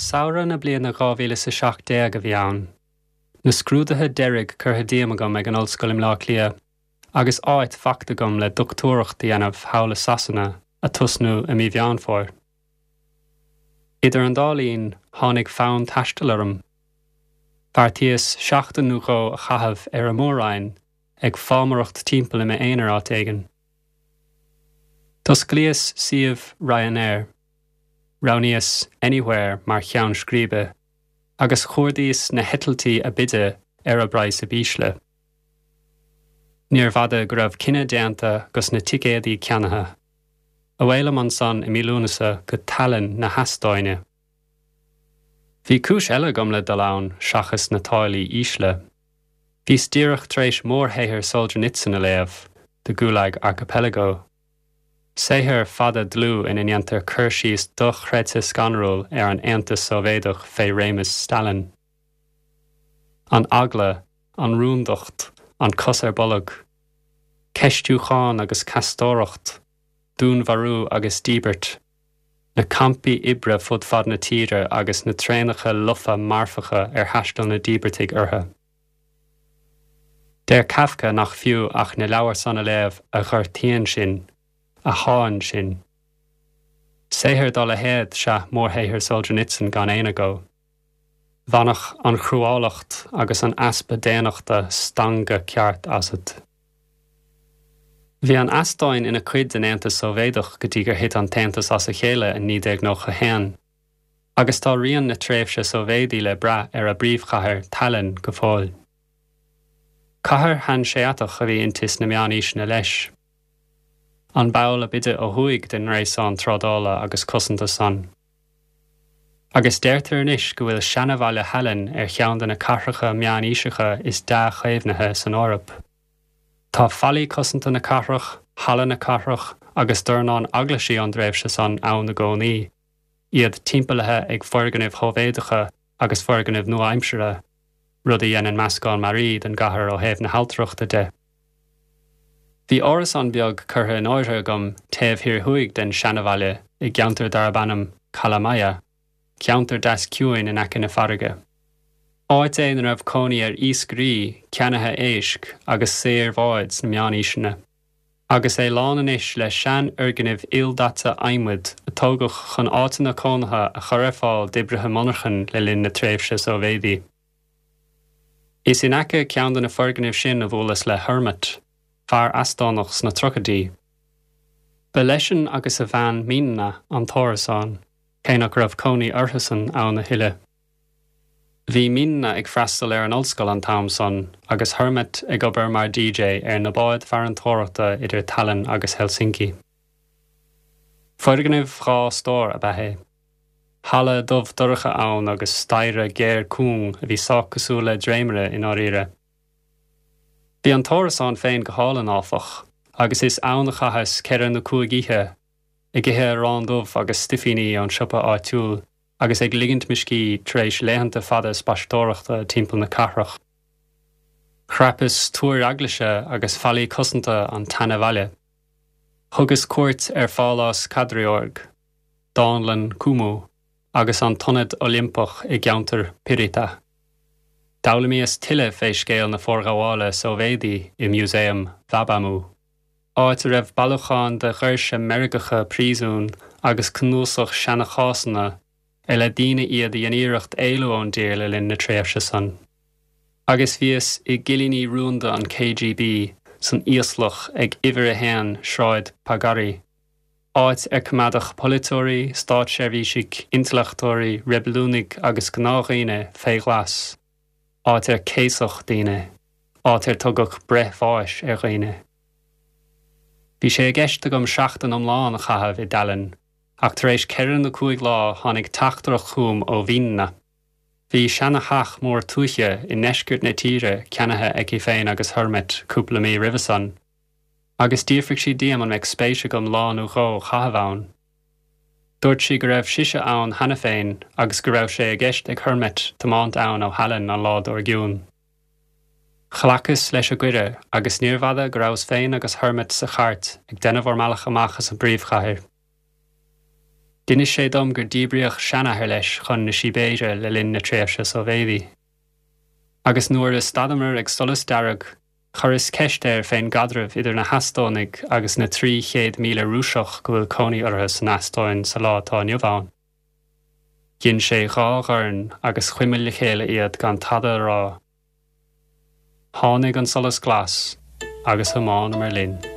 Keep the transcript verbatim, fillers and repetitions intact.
Samhradh na bliana dhá mhíle is a seacht déag a bhí ann. Na scrúduithe deiridh curtha díom agam ag an ollscoil i mBleá Cliath, agus áit faighte agam le dochtúireacht a dhéanamh thall i Sasana ag tosnú i mí Mheán Fómhair. Idir an dá linn tháinig fonn taistil orm. Bheartaíos seachtain nó dhó a chaitheamh ar an Mór-Roinn ag fámaireacht timpeall i m'aonar áit éigin. D'osclaíos suíomh Ryanair. Roghnaíos Anywhere mar cheann scríbe, agus chuardaíos na heitiltí ab fhaide ar an bpraghas ab ísle. Níorbh fhada go raibh cinneadh déanta agus na ticéadaí ceannaithe. Away liom ansan i mí Lúnasa go Tallinn na hEastóine. Bhí cúis eile agam le dul ann seachas na táillí ísle. Bhíos díreach tar éis mórshaothar Solzhenitsyn a léamh, The Gulag Archipelago. Saothar fada dlúth ina ndéantar cur síos dochreidte scanrúil ar an Aontas Sóivéadach fé réimeas Stalin. An eagla, an rúndacht, an cos ar bolg. Ceistiúchán agus ceastóireacht, dúnmharú agus díbirt. Na campaí oibre fud fad na tíre agus na traenacha lofa marfacha ar thaistil na díbirtigh orthu. Deir Kafka nach fiú ach na leabhair san a léamh a ghortaíonn sinn, a shánn sinn. Saothar dá leithéid is ea mórshaothar Solzhenitsyn gan aon agó. Bhainfeadh an chruálacht agus an easpa daonnachta stangadh ceart asat. Bhí an Eastóin ina cuid den Aontas Sóivéadach go dtí gur thit an tAontas as a chéile in naoi déag nócha a haon, agus tá rian na tréimhse Sóivéadaí le brath ar a bpríomhchathair Tallinn go fóill. Cathair hanseatach a bhí inti sna meánaoiseanna leis. An ball ab fhaide ó thuaidh den ngréasán trádála agus cosanta san. Agus deirtear anois go bhfuil seanabhaile Thaillinn ar cheann de na cathracha meánaoiseacha is dea-chaomhnaithe san Eoraip. Tá fallaí cosanta na cathrach, halla na cathrach agus dornán eaglaisí ón dtréimhse san ann i gcónaí, iad timpeallaithe ag foirgnimh Shóivéadacha agus foirgnimh nua-aimseartha, rud a dhéanann meascán mearaí den gcathair ó thaobh na hailtireachta de. Bhí árasán beag curtha in áirithe agam taobh thiar thuaidh den seanabhaile i gceantar darb ainm Kalamaja, ceantar deas ciúin in aice na farraige. Áit é ina raibh cónaí ar iascairí, ceannaithe éisc agus saoir bháid sna meánaoiseanna. Agus é lán anois le seanfhoirgnimh ildaite adhmaid a tógadh chun áiteanna cónaithe a chur ar fáil d'oibrithe monarchan le linn na tréimhse Sóivéadaí. Is in aice ceann de na foirgnimh sin a bhuaileas le Hermit, fear Eastónach sna tríochaidí. Ba leisean agus a bhean Minna an t-árasán, cé nach raibh cónaí orthusan ann a thuilleadh. Bhí Minna ag freastal ar an ollscoil an t-am san agus Hermit ag obair mar D J ar na báid farantóireachta idir Tallinn agus Helsinki. Foirgneamh dhá stór ab ea é. Halla dubh dorcha ann agus staighre géar cúng a bhí sách cosúil le dréimire i ndáiríre. Bhí an t-árasán féin go hálainn áfach, agus is ann a chaitheas ceithre nó cúig oíche, ag ithe arán dubh agus stuifíní ón siopa áitiúil agus ag ligint mo scíth tar éis laethanta fada spaisteoireachta timpeall na cathrach. Chrapas túir eaglaise agus fallaí cosanta an tseanabhaile. Thugas cuairt ar Phálás Kadriorg, Dánlann Kumu agus an tIonad Oilimpeach i gceantar Pirita. D'fhoghlaimíos tuilleadh fé scéal na forghabhála Sóivéadaí i Músaem Vabamu, áit a raibh bailiúchán de dhoirse meirgeacha príosún agus cnuasach seanachásanna ar le daoine iad a dhein iarracht éalú ón dtír le linn na tréimhse san. Agus bhíos i gcillíní rúnda an K G B san íoslach ag uimhir a haon Sráid Pagari, áit ar coimeádadh polaiteoirí, státseirbhísigh, intleachtóirí, reibiliúnaigh agus gnáthdhaoine fé ghlas, áit ar céasadh daoine, áit ar tugadh breith bháis ar dhaoine. Bhí sé i gceist agam seachtain iomlán a chaitheamh i dTallinn, ach tar éis ceithre nó cúig lá tháinig teachtaireacht chugam ó Mhinna. Bhí seana-theach mór tuaithe i ndeisceart na tíre ceannaithe aici féin agus Hermit cúpla mí roimhe san, agus d'fhiafraigh sí díom an mbeadh spéis agam lá nó dhó a chaitheamh ann. Dúirt sí go raibh sise ann cheana féin agus go raibh sé i gceist ag Hermit tiomáint ann ó Thallinn an lá dár gcionn. Ghlacas leis an gcuireadh agus níorbh fhada go rabhas féin agus Hermit sa chairt ag déanamh ár mbealach amach as an bpríomhchathair. D'inis sé dom gur díbríodh seanathair leis chun na Sibéire le linn na tréimhse Sóivéadaí. Agus nuair a stadamar ag solas dearg, chuireas ceist air fén gcaidreamh idir na hEastónaigh agus na trí chéad míle Rúiseach go bhfuil cónaí orthu san Eastóin sa lá atá inniu ann. Dhein sé dhá dhorn agus chuimil le chéile iad gan tada a rá. Tháinig an solas glas agus thiomáineamar linn.